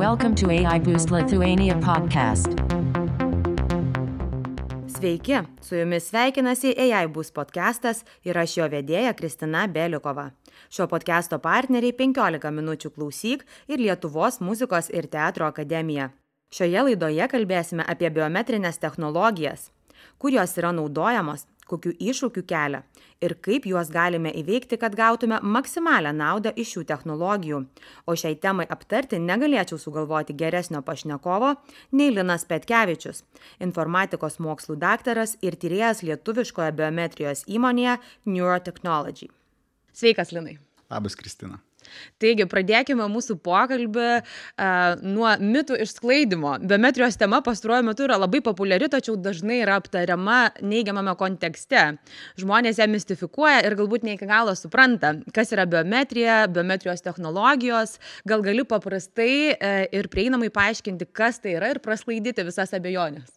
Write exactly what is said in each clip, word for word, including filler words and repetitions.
Welcome to A I Boost Lithuania podcast. Sveiki, su jumis sveikinasi A I Boost podcastas ir aš jo vedėja Kristina Beliukova. Šio podcasto partneriai penkiolika minučių klausyk ir Lietuvos muzikos ir teatro akademija. Šioje laidoje kalbėsime apie biometrinės technologijas, kur jos yra naudojamos, kokių iššūkių kelia ir kaip juos galime įveikti, kad gautume maksimalią naudą iš šių technologijų. O šiai temai aptarti negalėčiau sugalvoti geresnio pašnekovo nei Linas Petkevičius, informatikos mokslų daktaras ir tyrėjas lietuviškoje biometrijos įmonėje Neurotechnology. Sveikas, Linai. Labas, Kristina. Taigi, pradėkime mūsų pokalbį uh, nuo mitų išsklaidymo. Biometrijos tema pastaruoju metu yra labai populiari, tačiau dažnai yra aptariama neigiamame kontekste. Žmonės ją mistifikuoja ir galbūt ne iki galo supranta, kas yra biometrija, biometrijos technologijos. Gal gali paprastai uh, ir prieinamai paaiškinti, kas tai yra ir prasklaidyti visas abejonės.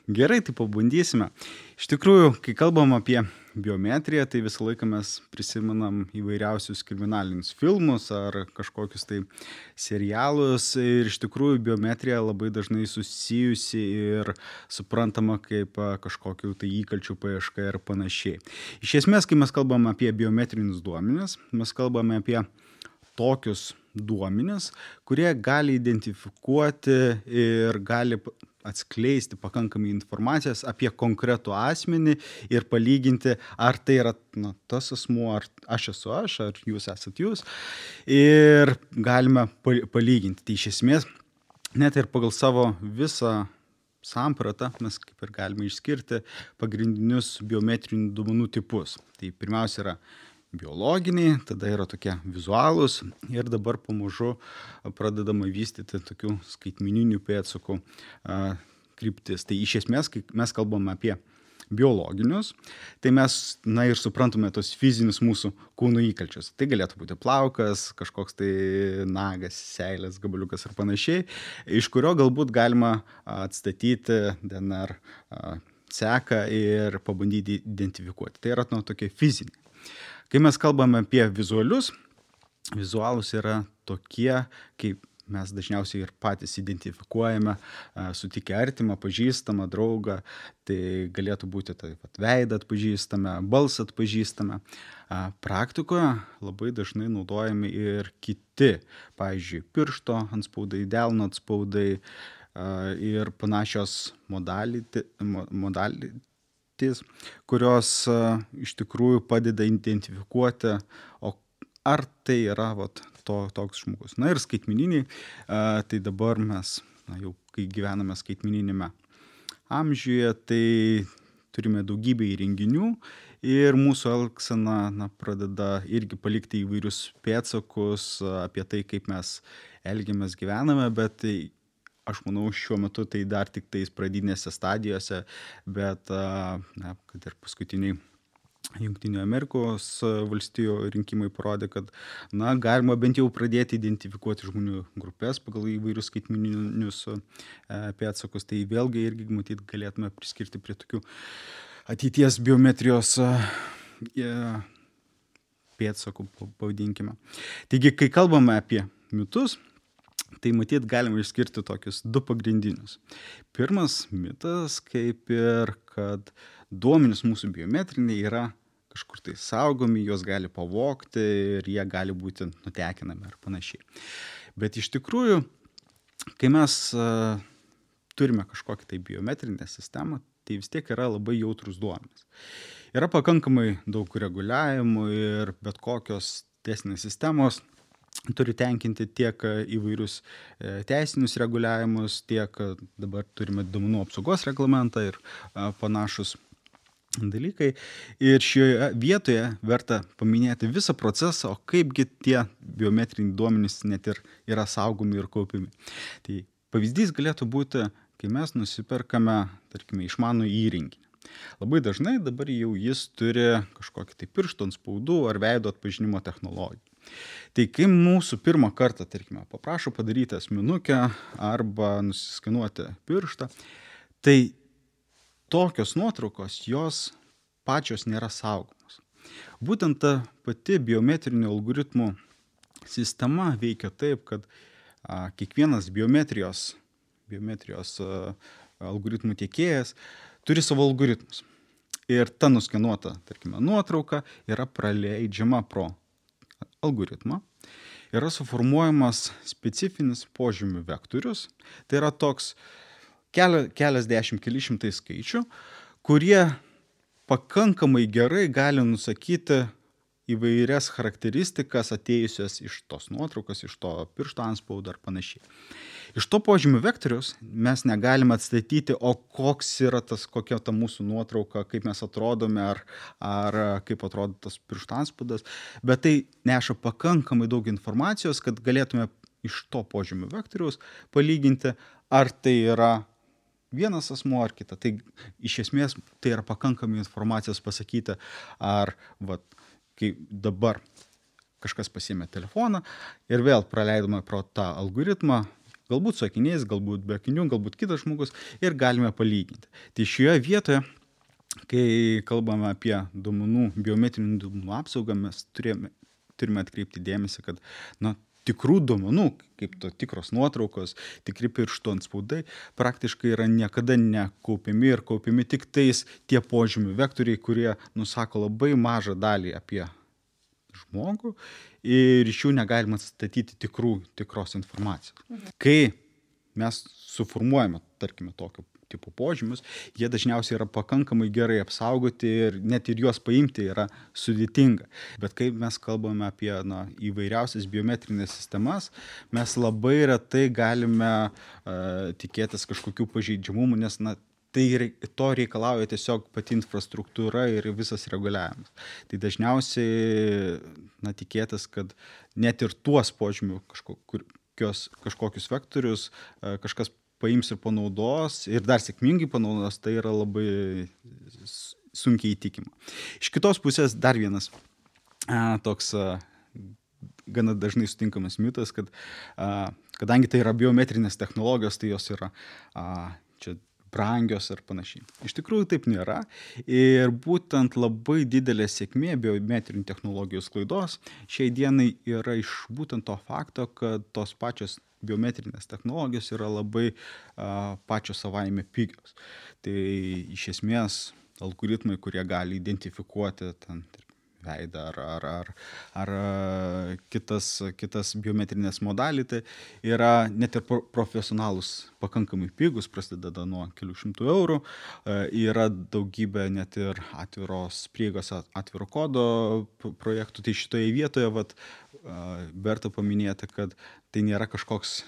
Gerai, tai pabandysime. Iš tikrųjų, kai kalbam apie biometriją, tai visą laiką mes prisimenam įvairiausius kriminalinius filmus ar kažkokius tai serialus. Ir iš tikrųjų biometrija labai dažnai susijusi ir suprantama kaip kažkokių tai įkalčių paieška ir panašiai. Iš esmės, kai mes kalbam apie biometrinius duomenis, mes kalbame apie tokius duomenis, kurie gali identifikuoti ir gali atskleisti pakankamai informacijos apie konkretų asmenį ir palyginti, ar tai yra na, tas asmuo, ar aš esu aš, ar jūs esat jūs. Ir galime palyginti. Tai iš esmės, net ir pagal savo visą sampratą mes kaip ir galime išskirti pagrindinius biometrinių duomenų tipus. Tai pirmiausia yra biologiniai, tada yra tokie vizualūs ir dabar pamažu pradedama vystyti tokių skaitmeninių pėdsakų a, kryptis. Tai iš esmės, kai mes kalbame apie biologinius, tai mes na, ir suprantame tos fizinius mūsų kūno įkalčius. Tai galėtų būti plaukas, kažkoks tai nagas, seilės, gabaliukas ir panašiai, iš kurio galbūt galima atstatyti D N R a, seką ir pabandyti identifikuoti. Tai yra nu, tokie fiziniai. Kai mes kalbame apie vizualius, vizualus yra tokie, kaip mes dažniausiai ir patys identifikuojame, sutikę artimą, pažįstamą, draugą, tai galėtų būti tai vat, veidą atpažįstame, balsą atpažįstame. Praktikoje labai dažnai naudojami ir kiti, pavyzdžiui, piršto antspaudai, delno atspaudai ir panašios modality, modality kurios uh, iš tikrųjų padeda identifikuoti, o ar tai yra vat, to, toks žmogus. Na ir skaitmeniniai, uh, tai dabar mes, na, jau kai gyvename skaitmeninėme amžiuje, tai turime daugybę įrenginių ir mūsų elgsena na, pradeda irgi palikti įvairius pėdsakus apie tai, kaip mes elgiamės, gyvename, bet tai aš manau, šiuo metu tai dar tik tais pradinėse stadijose, bet na, kad ir paskutiniai Jungtinių Amerikos valstijų rinkimai parodė, kad na, galima bent jau pradėti identifikuoti žmonių grupės pagal įvairius skaitmeninius pėdsakus. Tai vėlgi irgi matyt galėtume priskirti prie tokių ateities biometrijos pėdsakų, pavadinkime. Taigi, kai kalbame apie mitus, tai matyt galima išskirti tokius du pagrindinius. Pirmas mitas, kaip ir, kad duomenys mūsų biometriniai yra kažkur tai saugomi, juos gali pavogti ir jie gali būti nutekinami ar panašiai. Bet iš tikrųjų, kai mes uh, turime kažkokią tai biometrinę sistemą, tai vis tiek yra labai jautrus duomenys. Yra pakankamai daug reguliavimų ir bet kokios teisinės sistemos turi tenkinti tiek įvairius teisinius reguliavimus, tiek dabar turime duomenų apsaugos reglamentą ir panašus dalykai. Ir šioje vietoje verta paminėti visą procesą, o kaipgi tie biometriniai duomenys net ir yra saugomi ir kaupiami. Tai pavyzdys galėtų būti, kai mes nusiperkame, tarkime, išmanų įrenginį. Labai dažnai dabar jau jis turi kažkokį tai piršto antspaudų ar veido atpažinimo technologiją. Tai kai mūsų pirmą kartą, tarkime, paprašo padaryti asmenukę arba nusiskanuoti pirštą, tai tokios nuotraukos jos pačios nėra saugomos. Būtent ta pati biometrinių algoritmų sistema veikia taip, kad a, kiekvienas biometrijos, biometrijos a, algoritmų tiekėjas turi savo algoritmus. Ir ta nuskenuota, tarkime, nuotrauka yra praleidžiama pro algoritmą. Yra suformuojamas specifinis požymių vektorius. Tai yra toks keli, keliasdešimt, keli šimtai skaičių, kurie pakankamai gerai gali nusakyti įvairias charakteristikas atėjusias iš tos nuotraukos, iš to piršto antspaudo ar panašiai. Iš to požymių vektoriaus mes negalime atstatyti, o koks yra tas, kokia ta mūsų nuotrauka, kaip mes atrodome, ar, ar kaip atrodo tas piršto antspaudas, bet tai neša pakankamai daug informacijos, kad galėtume iš to požymių vektoriaus palyginti, ar tai yra vienas asmuo ar kita. Tai iš esmės tai yra pakankamai informacijos pasakyti, ar vat, kai dabar kažkas pasiėmė telefoną ir vėl praleidome pro tą algoritmą, galbūt su akiniais, galbūt be akinių, galbūt kitas žmogus ir galime palyginti. Tai šioje vietoje, kai kalbame apie duomenų, biometrinių duomenų apsaugą, mes turime, turime atkreipti dėmesį, kad na, tikrų duomenų, kaip to tikros nuotraukos, tikri pirštų antspaudai, praktiškai yra niekada nekaupiami ir kaupiami tik tais tie požymių vektoriai, kurie nusako labai mažą dalį apie žmogų ir iš jų negalima atstatyti tikrų, tikros informacijos. Mhm. Kai mes suformuojame, tarkime, tokio tipo požymius, jie dažniausiai yra pakankamai gerai apsaugoti ir net ir juos paimti yra sudėtinga. Bet kai mes kalbame apie na, įvairiausias biometrinės sistemas, mes labai retai galime uh, tikėtis kažkokių pažeidžiamumų, nes na, tai to reikalauja tiesiog pati infrastruktūra ir visas reguliavimas. Tai dažniausiai na, tikėtis, kad net ir tuos požymių kažkokios, kažkokius vektorius uh, kažkas paims ir panaudos, ir dar sėkmingai panaudos, tai yra labai sunkiai įtikima. Iš kitos pusės dar vienas a, toks a, gana dažnai sutinkamas mitas, kad a, kadangi tai yra biometrinės technologijos, tai jos yra a, čia brangios ar panašiai. Iš tikrųjų taip nėra ir būtent labai didelė sėkmė biometrinių technologijų sklaidos šiai dienai yra iš būtent to fakto, kad tos pačios biometrinės technologijos yra labai a, pačios savaime pigios. Tai iš esmės algoritmai, kurie gali identifikuoti ten, veidą ar, ar, ar, ar kitas, kitas biometrinės modalį, tai yra net ir profesionalus pakankamai pigus, prasideda nuo kelių šimtų eurų, yra daugybė net ir atviros prieigos, atviro kodo projektų. Tai šitoje vietoje vat, verta paminėti, kad tai nėra kažkoks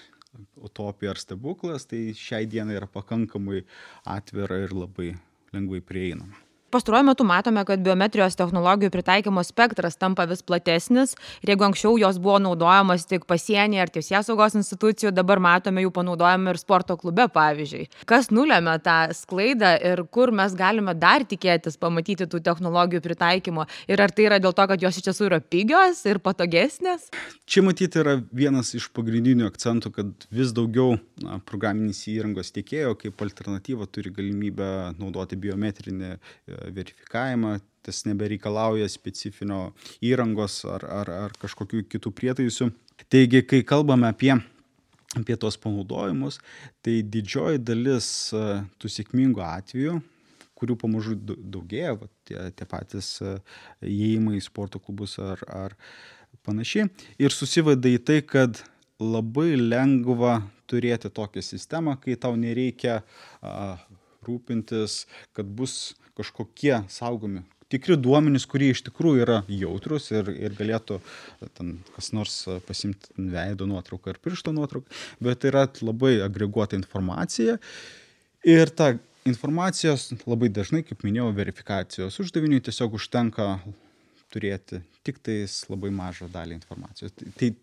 utopija ar stebuklas, tai šiai dienai yra pakankamai atvira ir labai lengvai prieinama. Pastaruoju metu matome, kad biometrijos technologijų pritaikymo spektras tampa vis platesnis ir jeigu anksčiau jos buvo naudojamos tik pasienyje ar teisėsaugos institucijų, dabar matome jų panaudojimą ir sporto klube, pavyzdžiui. Kas nulėmė tą sklaidą ir kur mes galime dar tikėtis pamatyti tų technologijų pritaikymo ir ar tai yra dėl to, kad jos iš tiesų yra pigios ir patogesnės? Čia matyti yra vienas iš pagrindinių akcentų, kad vis daugiau na, programinės įrangos tiekėjo kaip alternatyva turi galimybę naudoti biometrinį verifikavimą, tas nebereikalauja specifinio įrangos ar, ar, ar kažkokių kitų prietaisų. Taigi, kai kalbame apie, apie tos panaudojimus, tai didžioji dalis tų sėkmingų atvejų, kurių pamažu daugėja, va, tie, tie patys įėjimai į sporto klubus ar, ar panašiai, ir susiveda į tai, kad labai lengva turėti tokią sistemą, kai tau nereikia a, rūpintis, kad bus kažkokie saugomi tikri duomenys, kurie iš tikrųjų yra jautrus ir, ir galėtų ten, kas nors pasimti veido nuotrauką ar piršto nuotrauką, bet yra labai agreguota informacija ir ta informacijos labai dažnai, kaip minėjau, verifikacijos uždaviniui tiesiog užtenka turėti tik tais labai mažą dalį informacijos. Tai,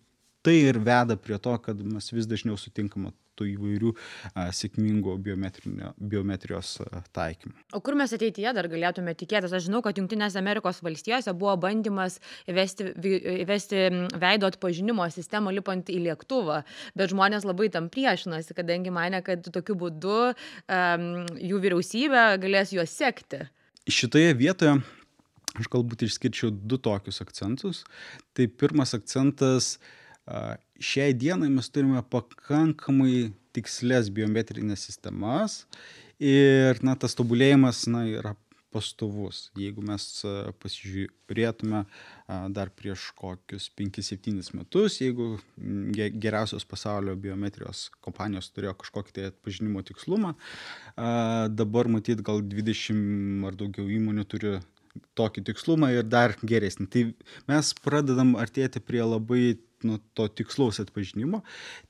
tai ir veda prie to, kad mes vis dažniau sutinkame tų įvairių a, sėkmingų biometrijos a, taikymų. O kur mes ateityje dar galėtume tikėtis? Aš žinau, kad Jungtinėse Amerikos valstijose buvo bandymas įvesti, įvesti veido atpažinimo sistemą lipant į lėktuvą, bet žmonės labai tam priešinasi, kadangi mane, kad tokiu būdu um, jų vyriausybė galės juos sekti. Šitoje vietoje aš galbūt išskirčiau du tokius akcentus. Tai pirmas akcentas Šiai dienai mes turime pakankamai tikslės biometrinės sistemas ir na, tas tobulėjimas na, yra pastovus. Jeigu mes pasižiūrėtume dar prieš kokius penkis septynis metus, jeigu geriausios pasaulio biometrijos kompanijos turėjo kažkokį tai atpažinimo tikslumą, dabar matyt gal dvidešimt ar daugiau įmonių turi tokį tikslumą ir dar geresnį. Tai mes pradedam artėti prie labai nu, to tikslaus atpažinimo.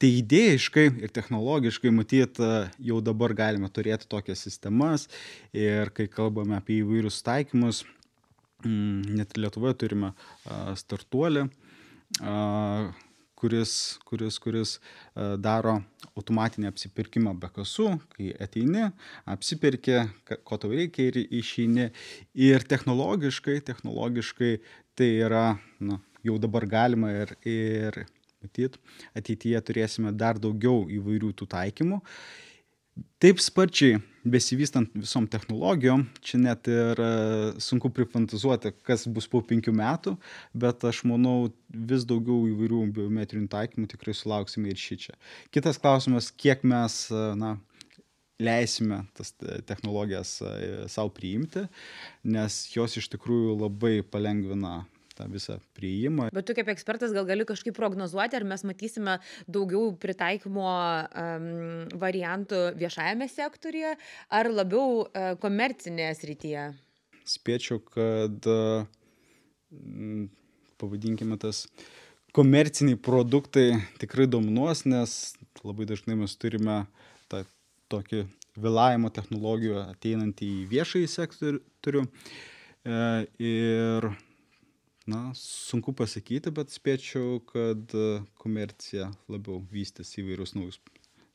Tai idėjiškai ir technologiškai matyt jau dabar galime turėti tokias sistemas ir kai kalbame apie įvairius taikymus, net Lietuvoje turime startuolį, kuris, kuris, kuris daro automatinį apsipirkimą be kasų, kai ateini, apsipirki, ko tau reikia ir išeini. Ir technologiškai, technologiškai tai yra nu, jau dabar galima ir, ir matyt, ateityje turėsime dar daugiau įvairių tų taikymų. Taip sparčiai besivystant visom technologijom, čia net ir sunku prifantazuoti, kas bus po penkių metų, bet aš manau, vis daugiau įvairių biometrinių taikymų tikrai sulauksime ir šičia. Kitas klausimas, kiek mes na, leisime tas technologijas savo priimti, nes jos iš tikrųjų labai palengvina tą visą priėjimą. Bet tu kaip ekspertas gal gali kažkaip prognozuoti, ar mes matysime daugiau pritaikymo um, variantų viešajame sektoriuje, ar labiau uh, komercinėje srityje? Spėčiau, kad mm, pavadinkime tas komerciniai produktai tikrai dominuos, nes labai dažnai mes turime tą tokį vėlavimo technologijų ateinantį į viešąjį sektorių. E, ir Na, sunku pasakyti, bet spėčiau, kad komercija labiau vystys įvairius naujus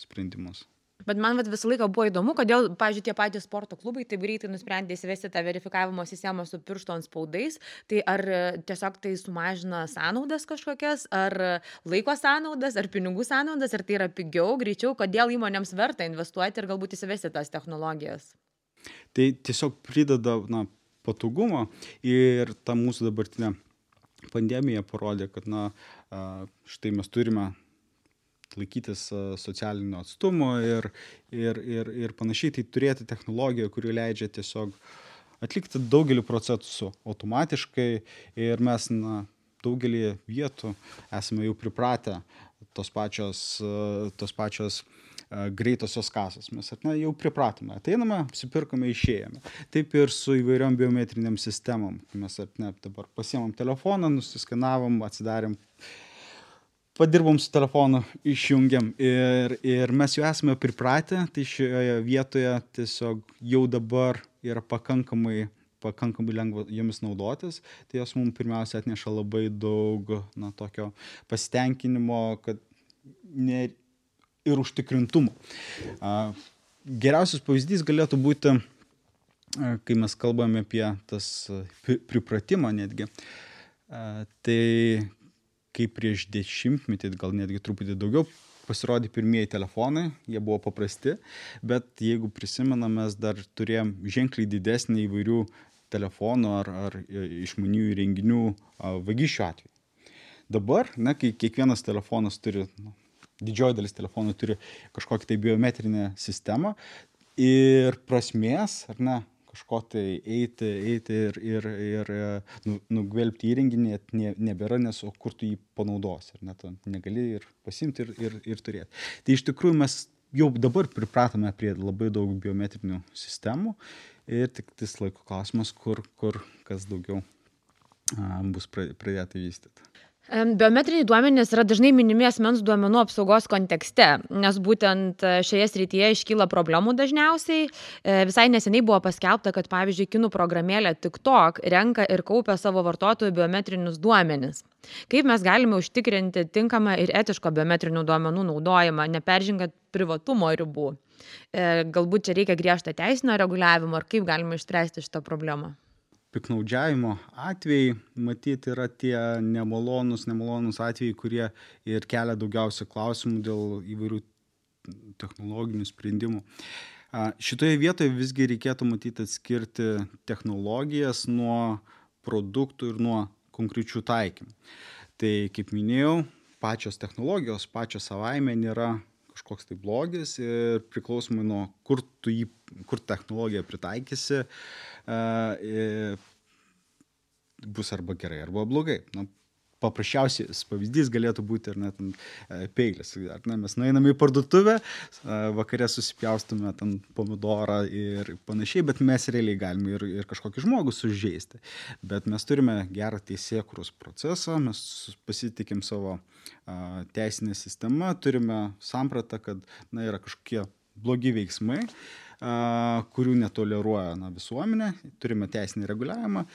sprendimus. Bet man vat, visą laiką buvo įdomu, kodėl, pavyzdžiui, tie patys sporto klubai taip greitai nusprendė įsivesti tą verifikavimo sistemą su piršto antspaudais. Tai ar tiesiog tai sumažina sąnaudas kažkokias, ar laiko sąnaudas, ar pinigų sąnaudas, ar tai yra pigiau, greičiau, kodėl įmonėms verta investuoti ir galbūt įsivesti tas technologijas? Tai tiesiog prideda, na, patogumo ir ta mūsų dabartinė pandemija parodė, kad na, štai mes turime laikytis socialinio atstumo ir, ir, ir, ir panašiai, tai turėti technologiją, kuri leidžia tiesiog atlikti daugelį procesų automatiškai ir mes na, daugelį vietų esame jau pripratę tos pačios, tos pačios greitosios kasos. Mes na, jau pripratome, ateiname, apsipirkome, išėjome. Taip ir su įvairiom biometriniam sistemom. Mes ne, dabar pasiemam telefoną, nusiskanavom, atsidarėm, padirbom su telefonu, išjungiam ir, ir mes jau esame pripratę, tai šioje vietoje tiesiog jau dabar yra pakankamai, pakankamai lengva jomis naudotis, tai jos mums pirmiausia atneša labai daug na, tokio pasitenkinimo, kad ne ir užtikrintumo. Geriausias pavyzdys galėtų būti, kai mes kalbame apie tas pripratimą netgi. Tai kaip prieš dešimtmetį, gal netgi truputį daugiau, pasirodė pirmieji telefonai, jie buvo paprasti, bet jeigu prisimenam, mes dar turėjom ženkliai didesnį įvairių telefonų ar, ar išmaniųjų įrenginių vagysčių atveju. Dabar, na, kai kiekvienas telefonas turi na, didžioji dalis telefonų turi kažkokį tai biometrinę sistemą ir prasmės, ar ne, kažko tai eiti, eiti ir, ir, ir nu, nugvelbti įrenginį ne, nebėra, nes o kur tu jį panaudosi, ar ne, tu negali ir pasimti ir, ir, ir turėti. Tai iš tikrųjų mes jau dabar pripratome prie labai daug biometrinių sistemų ir tik tas laiko klausimas, kur, kur kas daugiau a, bus pradėta vystyti. Biometriniai duomenys yra dažnai minimi asmens duomenų apsaugos kontekste, nes būtent šioje srityje iškyla problemų dažniausiai. Visai neseniai buvo paskelbta, kad pavyzdžiui, kinų programėlė TikTok renka ir kaupia savo vartotojų biometrinius duomenis. Kaip mes galime užtikrinti tinkamą ir etišką biometrinių duomenų naudojimą, neperžengant privatumo ribų? Galbūt čia reikia griežto teisinio reguliavimo, ar kaip galime išspręsti šitą problemą? Piknaudžiavimo atvejai, matyti, yra tie nemalonus, nemalonus atvejai, kurie ir kelia daugiausia klausimų dėl įvairių technologinių sprendimų. Šitoje vietoje visgi reikėtų matyti atskirti technologijas nuo produktų ir nuo konkrečių taikymų. Tai, kaip minėjau, pačios technologijos, pačios savaime nėra kažkoks tai blogis ir priklausomai nuo kur tu jį, kur technologiją pritaikysi, bus arba gerai, arba blogai. Na, paprasčiausias pavyzdys galėtų būti ir net peilis. Ar ne, mes nueiname į parduotuvę, vakare susipjaustume ten pomidorą ir panašiai, bet mes realiai galime ir, ir kažkokį žmogų sužeisti. Bet mes turime gerą teisėkūros procesą, mes pasitikim savo a, teisinę sistemą, turime sampratą, kad na, yra kažkokie blogi veiksmai, a, kurių netoleruoja na, visuomenė, turime teisinį reguliavimą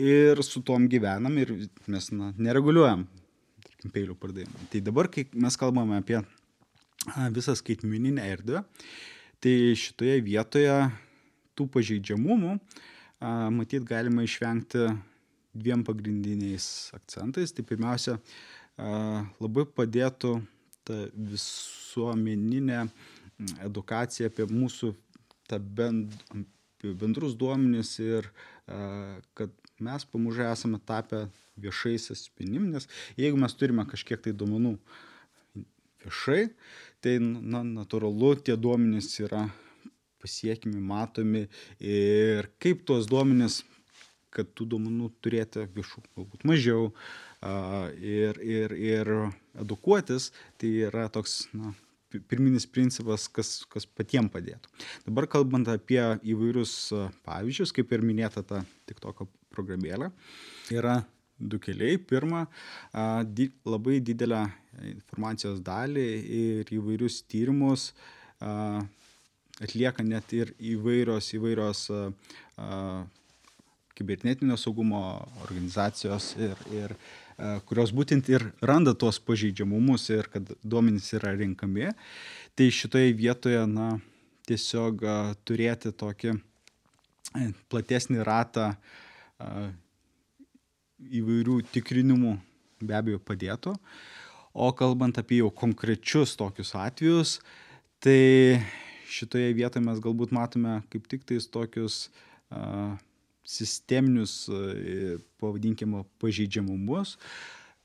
ir su tom gyvenam ir mes na, nereguliuojam, tarkim, peilių pardavimą. Tai dabar, kai mes kalbame apie a, visą skaitmeninę erdvę, tai šitoje vietoje tų pažeidžiamumų a, matyt galima išvengti dviem pagrindiniais akcentais. Tai pirmiausia, a, labai padėtų ta visuomeninė edukacija apie mūsų tą bend, bendrus duomenis ir a, kad mes pamažu esame tapę viešais asmenim, nes jeigu mes turime kažkiek tai duomenų viešai, tai na, natūralu tie duomenys yra pasiekimi, matomi ir kaip tuos duomenys, kad tų duomenų turėti viešų, galbūt mažiau a, ir, ir, ir edukuotis, tai yra toks, na, pirminis principas, kas, kas patiem padėtų. Dabar kalbant apie įvairius pavyzdžius, kaip ir minėta ta TikToko programėlė, yra du keliai. Pirma, di, labai didelę informacijos dalį ir įvairius tyrimus a, atlieka net ir įvairios, įvairios a, a, kibernetinio saugumo organizacijos ir, ir kurios būtent ir randa tuos pažeidžiamumus ir kad duomenys yra renkami. Tai šitoje vietoje na, tiesiog a, turėti tokį platesnį ratą a, įvairių tikrinimų be abejo padėtų. O kalbant apie jau konkrečius tokius atvejus, tai šitoje vietoje mes galbūt matome kaip tik tais tokius a, sisteminius, pavadinkime, pažeidžiamumus.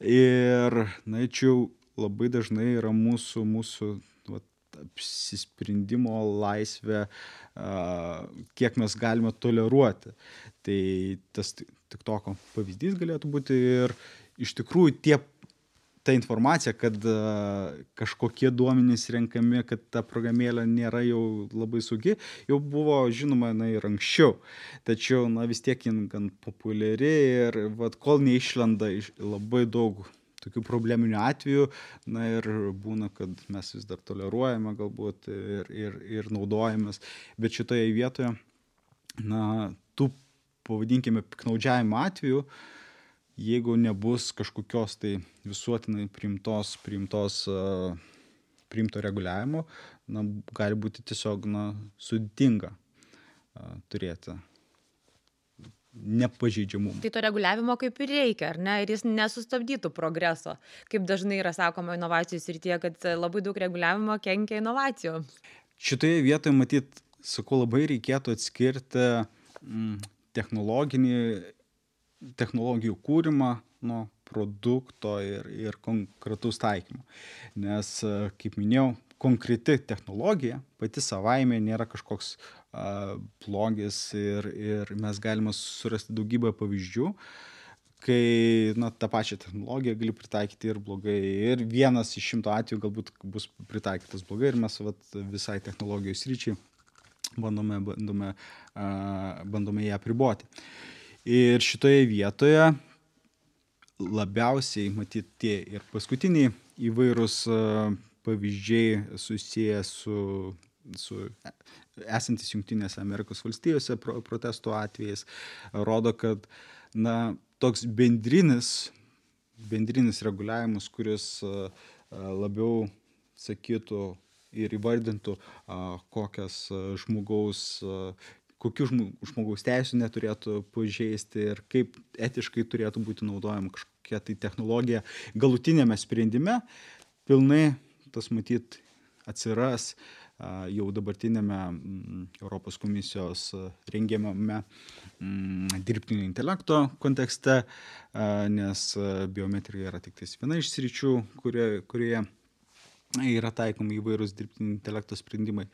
Ir, na, čia labai dažnai yra mūsų, mūsų vat, apsisprendimo laisvė, kiek mes galime toleruoti. Tai tas TikToko pavyzdys galėtų būti ir iš tikrųjų tie ta informacija, kad a, kažkokie duomenys renkami, kad ta programėlė nėra jau labai saugi, jau buvo žinoma na, ir anksčiau. Tačiau na, vis tiek jin gan populiari ir vat, kol neišlenda iš labai daug tokių probleminių atvejų, na ir būna, kad mes vis dar toleruojame galbūt ir, ir, ir naudojamės. Bet šitoje vietoje, na, tų, pavadinkime, piktnaudžiavimo atvejų, jeigu nebus kažkokios tai visuotinai priimtos, priimtos, uh, priimto reguliavimo, na, gali būti tiesiog na, sudėtinga uh, turėti nepažeidžiamumą. Tai to reguliavimo kaip ir reikia, ar ne? Ir jis nesustabdytų progreso. Kaip dažnai yra sakoma inovacijų srityje, kad labai daug reguliavimo kenkia inovacijoms. Šitoje vietoje, matyt, sakau, labai reikėtų atskirti mm, technologinį technologijų kūrimą nuo produkto ir, ir konkretaus taikymo. Nes, kaip minėjau, konkreti technologija pati savaime nėra kažkoks a, blogis ir, ir mes galime surasti daugybę pavyzdžių, kai na, tą pačią technologiją gali pritaikyti ir blogai. Ir vienas iš šimto atvejų galbūt bus pritaikytas blogai ir mes vat, visai technologijos ryčiai bandome, bandome, a, bandome ją apriboti. Ir šitoje vietoje labiausiai, matyt, tie ir paskutiniai įvairūs pavyzdžiai susiję su, su esantis Jungtinėse Amerikos valstijose protestų atvejais, rodo, kad na, toks bendrinis, bendrinis reguliavimas, kuris labiau sakytų ir įvardintų, kokias žmogaus kokių žmogaus teisų neturėtų pažeisti ir kaip etiškai turėtų būti naudojama kažkokia tai technologija galutinėme sprendime, pilnai tas matyt atsiras jau dabartinėme Europos komisijos rengiamame dirbtinio intelekto kontekste, nes biometrija yra tik tais viena iš sričių, kurioje, kurioje yra taikomi įvairūs dirbtinio intelekto sprendimai.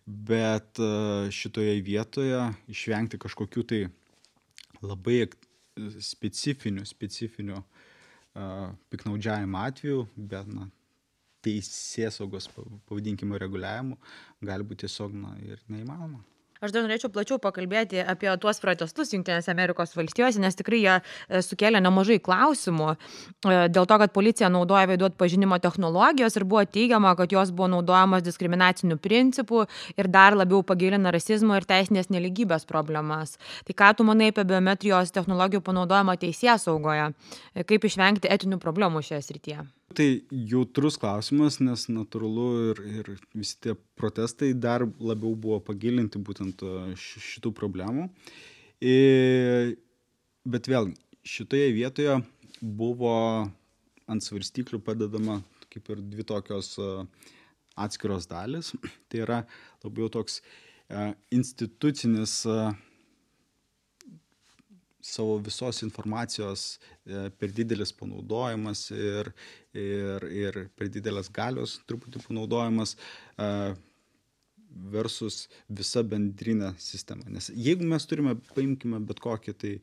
Bet šitoje vietoje išvengti kažkokių tai labai specifinių, specifinių uh, piknaudžiavimo atvejų, bet na, teisėsaugos, pavadinkime, reguliavimų gali būti tiesiog na, ir neįmanoma. Aš dar norėčiau plačiau pakalbėti apie tuos protestus Jungtinėse Amerikos valstijose, nes tikrai jie sukėlė nemažai klausimų dėl to, kad policija naudoja veidų atpažinimo technologijos ir buvo teigiama, kad jos buvo naudojamos diskriminacinių principų ir dar labiau pagilina rasizmo ir teisinės nelygybės problemas. Tai ką tu manai apie biometrijos technologijų panaudojimą teisėsaugoje? Kaip išvengti etinių problemų šioje srityje? Tai jautrus klausimas, nes natūralu ir, ir visi tie protestai dar labiau buvo pagilinti būtent šitų problemų. Ir, bet vėl, šitoje vietoje buvo ant svarstyklių padedama kaip ir dvi tokios atskiros dalis. Tai yra labiau toks institucinis savo visos informacijos per didelis panaudojimas ir, ir, ir per didelės galios truputį panaudojimas versus visa bendrinė sistema. Nes jeigu mes turime, paimkime bet kokį tai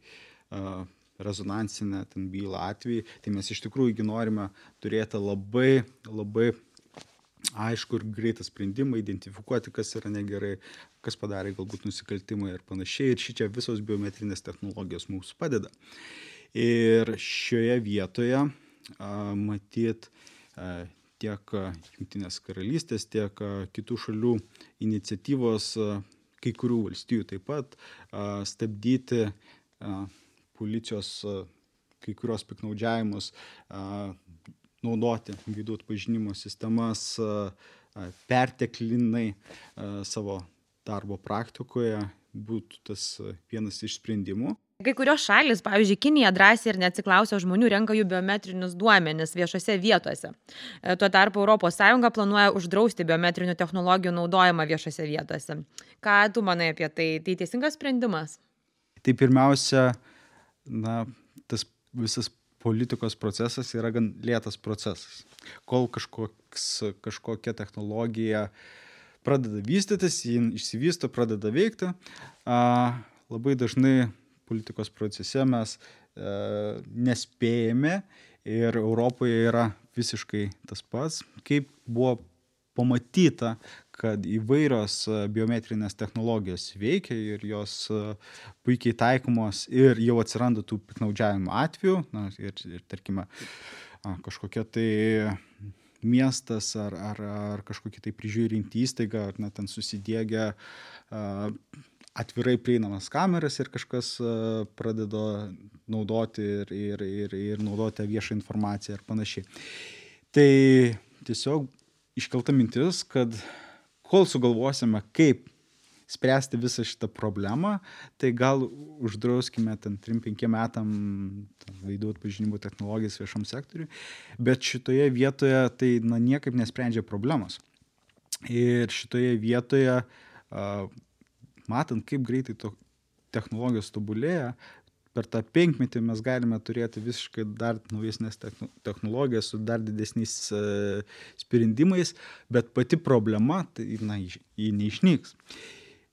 rezonansinę ten bylą atvejį, tai mes iš tikrųjų norime turėti labai, labai aišku ir greitą sprendimą, identifikuoti, kas yra negerai, kas padarė galbūt nusikaltimą ir panašiai. Ir šičia visos biometrinės technologijos mums padeda. Ir šioje vietoje matyt tiek Jungtinės karalystės, tiek kitų šalių iniciatyvos, kai kurių valstijų taip pat, stabdyti policijos kai kurios piknaudžiavimus, naudoti veidų atpažinimo sistemas perteklinai savo darbo praktikoje būtų tas vienas iš sprendimų. Kai kurios šalis, pavyzdžiui, Kinija drąsiai ir neatsiklausia žmonių renka jų biometrinius duomenis viešose vietose. Tuo tarpu Europos Sąjunga planuoja uždrausti biometrinių technologijų naudojimą viešose vietose. Ką tu manai apie tai? Tai teisingas sprendimas? Tai pirmiausia, na, tas visas politikos procesas yra gan lėtas procesas. Kol kažkoks, kažkokia technologija pradeda vystytis, jį išsivysto, pradeda veikti, a, labai dažnai politikos procese mes a, nespėjame ir Europoje yra visiškai tas pats, kaip buvo pamatyta, kad įvairios biometrinės technologijos veikia ir jos puikiai taikomos ir jau atsiranda tų piknaudžiavimo atvejų, na, ir, ir tarkime, kažkokia tai miestas ar, ar, ar kažkokia tai prižiūrinti įstaiga, ar na, ten susidiegia atvirai prieinamas kameras ir kažkas pradeda naudoti ir, ir, ir, ir naudoti viešą informaciją ir panašiai. Tai tiesiog iškelta mintis, kad kol sugalvosime, kaip spręsti visą šitą problemą, tai gal uždrauskime ten trim penkiem metam veidų atpažinimo technologijas viešam sektoriui, bet šitoje vietoje tai na, niekaip nesprendžia problemos. Ir šitoje vietoje, matant, kaip greitai to technologijos tobulėja, per tą penkmetį mes galime turėti visiškai dar naujesnės technologijas su dar didesniais sprendimais, bet pati problema, tai na, ji neišnyks.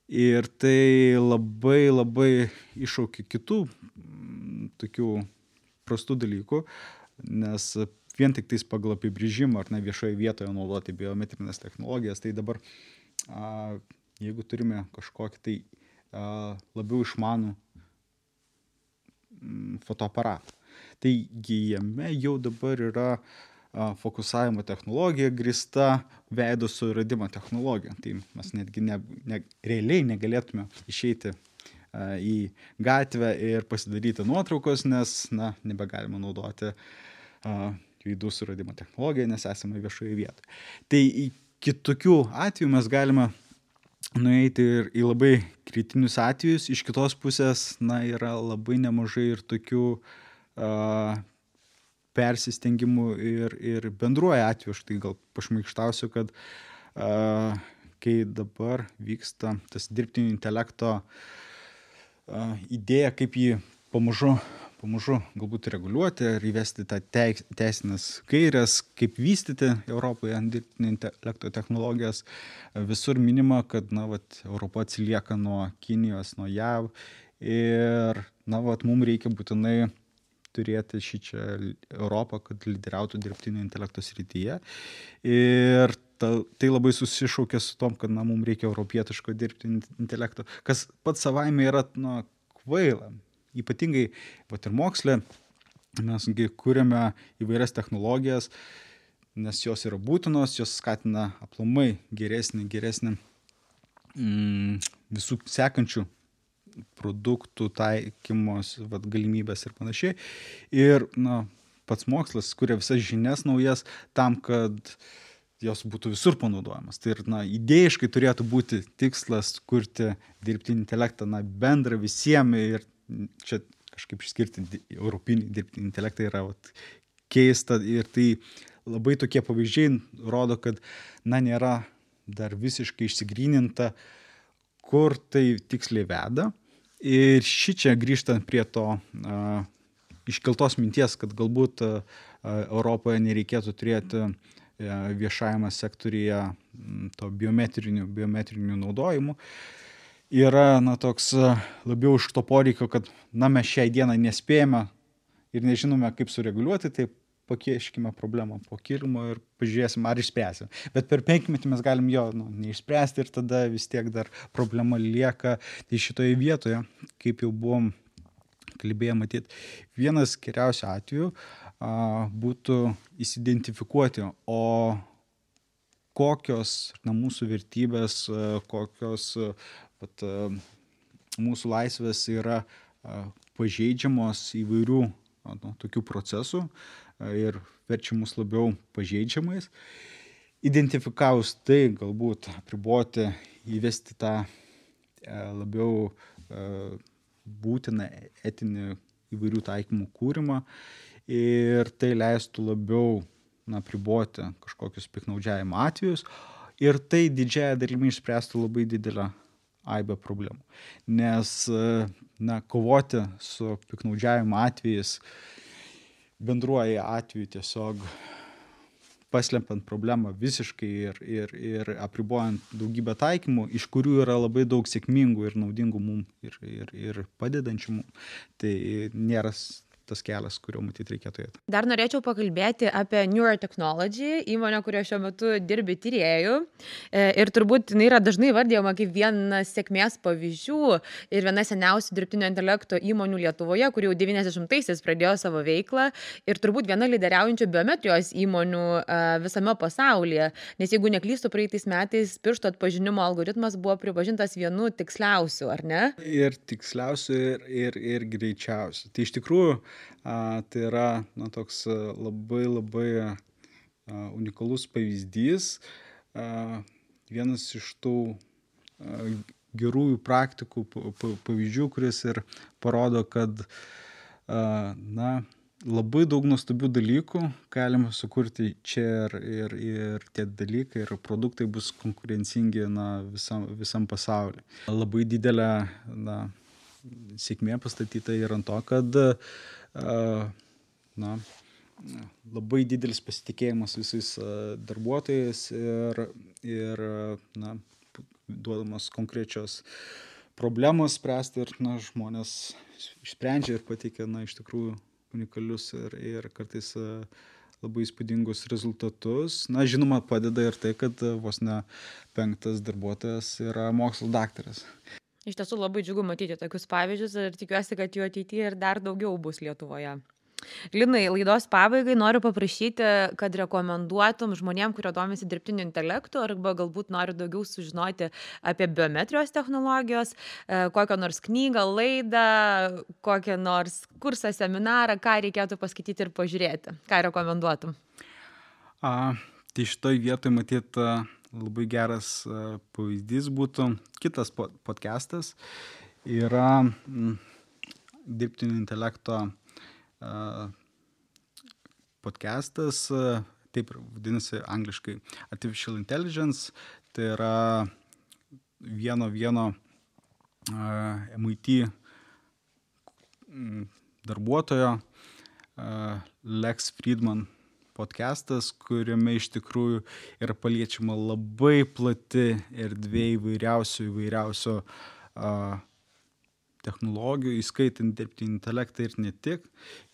Ir tai labai labai iššaukia kitų tokių prastų dalykų, nes vien tik tais pagal apibrėžimą ar ne viešoje vietoje naudoti biometrinės technologijas, tai dabar a, jeigu turime kažkokį tai a, labiau išmanų fotoaparatą. Tai jame jau dabar yra a, fokusavimo technologija grįsta veido suradimo technologija. Tai mes netgi ne, ne, realiai negalėtume išeiti a, į gatvę ir pasidaryti nuotraukos, nes na, nebegalime naudoti a, veidų suradimo technologiją, nes esame viešoje vietoje. Tai kitokių atvejų mes galime nueiti ir į labai kritinius atvejus. Iš kitos pusės, na, yra labai nemažai ir tokių a, persistengimų ir, ir bendruoju atveju. Aš tai gal pašmaikštausiu, kad a, kai dabar vyksta tas dirbtinio intelekto idėja, kaip jį pamažu, pamažu galbūt reguliuoti ar įvesti tą teisinės gairias, kaip vystyti Europoje dirbtinio intelekto technologijas. Visur minima, kad na, vat, Europa atsilieka nuo Kinijos, nuo J A V ir na, vat, mums reikia būtinai turėti šį čia Europą, kad lyderiautų dirbtinio intelekto srityje. Ir ta, tai labai susišaukia su tom, kad na, mums reikia europietiško dirbtinio intelekto, kas pats savaime yra na, kvaila. Ypatingai vat, ir moksle mesgi kūrėme įvairias technologijas, nes jos yra būtinos, jos skatina aplamai geresnį, geresnį mm, visų sekančių produktų taikymos vat, galimybės ir panašiai. Ir na, pats mokslas kuria visas žinias naujas tam, kad jos būtų visur panaudojamas. Tai ir na, idėjiškai turėtų būti tikslas kurti dirbtinį intelektą na, bendrą visiems ir čia kažkaip išskirti europinį dirbtinį intelektą yra vat, keista ir tai labai tokie pavyzdžiai rodo, kad na, nėra dar visiškai išsigryninta, kur tai tiksliai veda. Ir ši čia grįžtant prie to a, iškeltos minties, kad galbūt a, Europoje nereikėtų turėti a, viešajame sektoriuje to biometrinių, biometrinių naudojimų, yra na, toks a, labiau iš to poreikio, kad na, mes šiai dieną nespėjame ir nežinome, kaip sureguliuoti, tai pakieškime problemą po kilimo ir pažiūrėsim, ar išspręsim. Bet per penkmetį mes galim jo nu, neišspręsti ir tada vis tiek dar problema lieka. Tai šitoje vietoje, kaip jau buvom kalbėję matyti, vienas geriausių atvejų a, būtų įsidentifikuoti, o kokios na, mūsų vertybės, a, kokios a, pat, a, mūsų laisvės yra a, pažeidžiamos įvairių a, nu, tokių procesų ir verčia mus labiau pažeidžiamais. Identifikavus tai, galbūt apriboti, įvesti tą e, labiau e, būtiną etinį įvairių taikymų kūrimą ir tai leistų labiau na, apriboti kažkokius piktnaudžiavimo atvejus ir tai didžiąją dalimi išspręstų labai didelę aibę problemų. Nes na, kovoti su piktnaudžiavimo atvejais bendruoju atveju tiesiog paslepiant problemą visiškai ir, ir, ir apribojant daugybę taikymų, iš kurių yra labai daug sėkmingų ir naudingų mums ir, ir, ir padedančių mums, tai nėra tas kelias, kurio matyt reikėtų eiti. Dar norėčiau pakalbėti apie Neurotechnology, įmonę, kurioje šiuo metu dirbi tyrėjų. Ir turbūt jinai yra dažnai vardijama kaip vienas sėkmės pavyzdžių ir viena seniausių dirbtinio intelekto įmonių Lietuvoje, kuri jau devyniasdešimtaisiais pradėjo savo veiklą ir turbūt viena lyderiaujančių biometrijos įmonių visame pasaulyje. Nes jeigu neklystu, praeitais metais piršto atpažinimo algoritmas buvo pripažintas vienu tiksliausių, ar ne? Ir tiksliausių, ir, ir, ir greičiausių. Tai iš tikrųjų A, tai yra na, toks labai labai a, unikalus pavyzdys. A, vienas iš tų a, gerųjų praktikų pavyzdžių, kuris ir parodo, kad a, na, labai daug nuostabių dalykų galima sukurti čia ir, ir, ir tie dalykai ir produktai bus konkurencingi na, visam, visam pasauliu. Labai didelė na, sėkmė pastatyta ir ant to, kad na, labai didelis pasitikėjimas visais darbuotojais ir, ir na, duodamos konkrečios problemos spręsti ir na, žmonės išsprendžia ir pateikia na, iš tikrųjų unikalius ir, ir kartais labai įspūdingus rezultatus. Na, žinoma, padeda ir tai, kad vos ne penktas darbuotojas yra mokslo daktaras. Iš tiesų labai džiugu matyti tokius pavyzdžius ir tikiuosi, kad jų ateityje ir dar daugiau bus Lietuvoje. Linai, laidos pabaigai noriu paprašyti, kad rekomenduotum žmonėm, kurie domisi dirbtiniu intelektu arba galbūt nori daugiau sužinoti apie biometrijos technologijos, kokią nors knygą, laidą, kokią nors kursą, seminarą, ką reikėtų paskaityti ir pažiūrėti. Ką rekomenduotum? A, tai šitoj vietoj matyt labai geras pavyzdys būtų kitas podcastas. Yra m, dirbtinio intelekto a, podcastas, taip vadinasi angliškai Artificial Intelligence. Tai yra vieno vieno uh, M I T darbuotojo uh, Lex Fridman podcastas, kuriame iš tikrųjų yra paliečiama labai plati erdvė įvairiausių, įvairiausių uh, technologijų, įskaitant dirbtinį intelektą ir ne tik,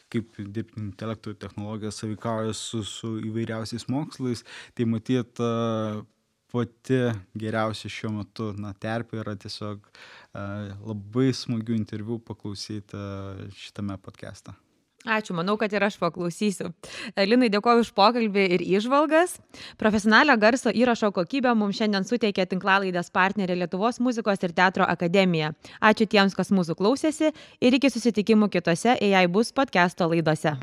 kaip dirbtinio intelekto technologijos sąveikauja su, su įvairiausiais mokslais. Tai matyt, uh, pati geriausia šiuo metu na, terpė yra tiesiog uh, labai smagių interviu paklausyti uh, šitame podcast'e. Ačiū, manau, kad ir aš paklausysiu. Linai, dėkoju už pokalbį ir įžvalgas. Profesionalią garso įrašo kokybę mums šiandien suteikė tinklalaidės partnerė Lietuvos muzikos ir teatro akademija. Ačiū tiems, kas mūsų klausėsi ir iki susitikimų kitose A I Bus podcast'o laidose.